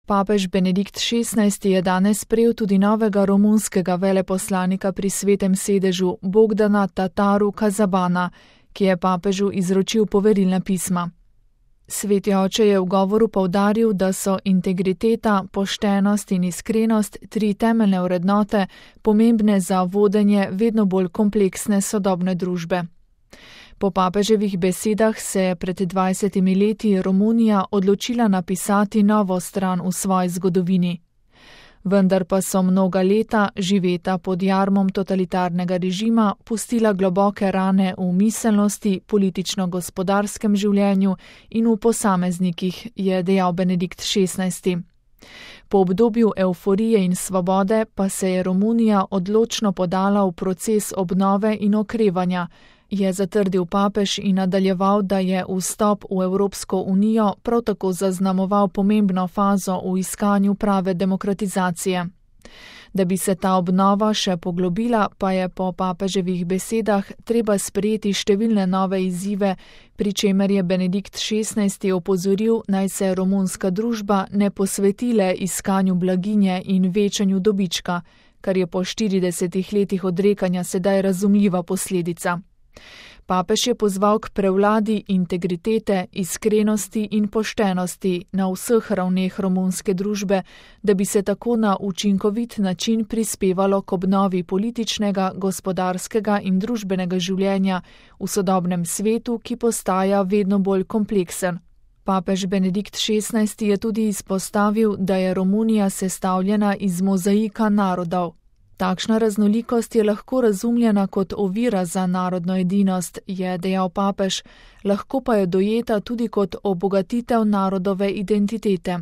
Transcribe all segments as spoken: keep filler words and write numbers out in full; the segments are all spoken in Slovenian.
Papež Benedikt šestnajsti je danes sprejel tudi novega romunskega veleposlanika pri Svetem sedežu Bogdana Tataru Kazabana, ki je papežu izročil poverilna pisma. Sveti oče je v govoru poudaril, da so integriteta, poštenost in iskrenost tri temeljne vrednote, pomembne za vodenje vedno bolj kompleksne sodobne družbe. Po papeževih besedah se je pred dvajsetimi leti Romunija odločila napisati novo stran v svoji zgodovini. Vendar pa so mnoga leta, živeta pod jarmom totalitarnega režima, pustila globoke rane v miselnosti, politično-gospodarskem življenju in v posameznikih, je dejal Benedikt šestnajsti. Po obdobju evforije in svobode pa se je Romunija odločno podala v proces obnove in okrevanja, je zatrdil papež in nadaljeval, da je vstop v Evropsko unijo prav tako zaznamoval pomembno fazo v iskanju prave demokratizacije. Da bi se ta obnova še poglobila, pa je po papeževih besedah treba sprejeti številne nove izzive, pri čemer je Benedikt šestnajsti opozoril, naj se romunska družba ne posveti le iskanju blaginje in večanju dobička, kar je po štiridesetih letih odrekanja sedaj razumljiva posledica. Papež je pozval k prevladi integritete, iskrenosti in poštenosti na vseh ravneh romunske družbe, da bi se tako na učinkovit način prispevalo k obnovi političnega, gospodarskega in družbenega življenja v sodobnem svetu, ki postaja vedno bolj kompleksen. Papež Benedikt šestnajsti je tudi izpostavil, da je Romunija sestavljena iz mozaika narodov. Takšna raznolikost je lahko razumljena kot ovira za narodno edinost, je dejal papež, lahko pa je dojeta tudi kot obogatitev narodove identitete.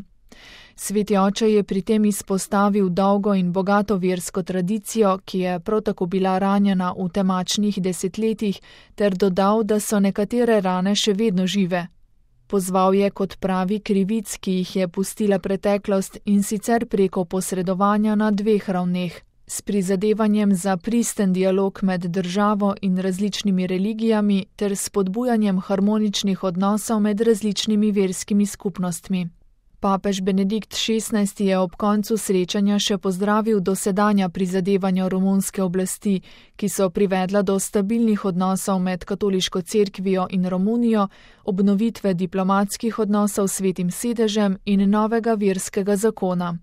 Sveti oče je pri tem izpostavil dolgo in bogato versko tradicijo, ki je prav tako bila ranjena v temačnih desetletjih, ter dodal, da so nekatere rane še vedno žive. Pozval je kot pravi krivic, ki jih je pustila preteklost, in sicer preko posredovanja na dveh ravneh. S prizadevanjem za pristen dialog med državo in različnimi religijami ter spodbujanjem harmoničnih odnosov med različnimi verskimi skupnostmi. Papež Benedikt šestnajsti je ob koncu srečanja še pozdravil dosedanja prizadevanja romunske oblasti, ki so privedla do stabilnih odnosov med katoliško cerkvijo in Romunijo, obnovitve diplomatskih odnosov s Svetim sedežem in novega verskega zakona.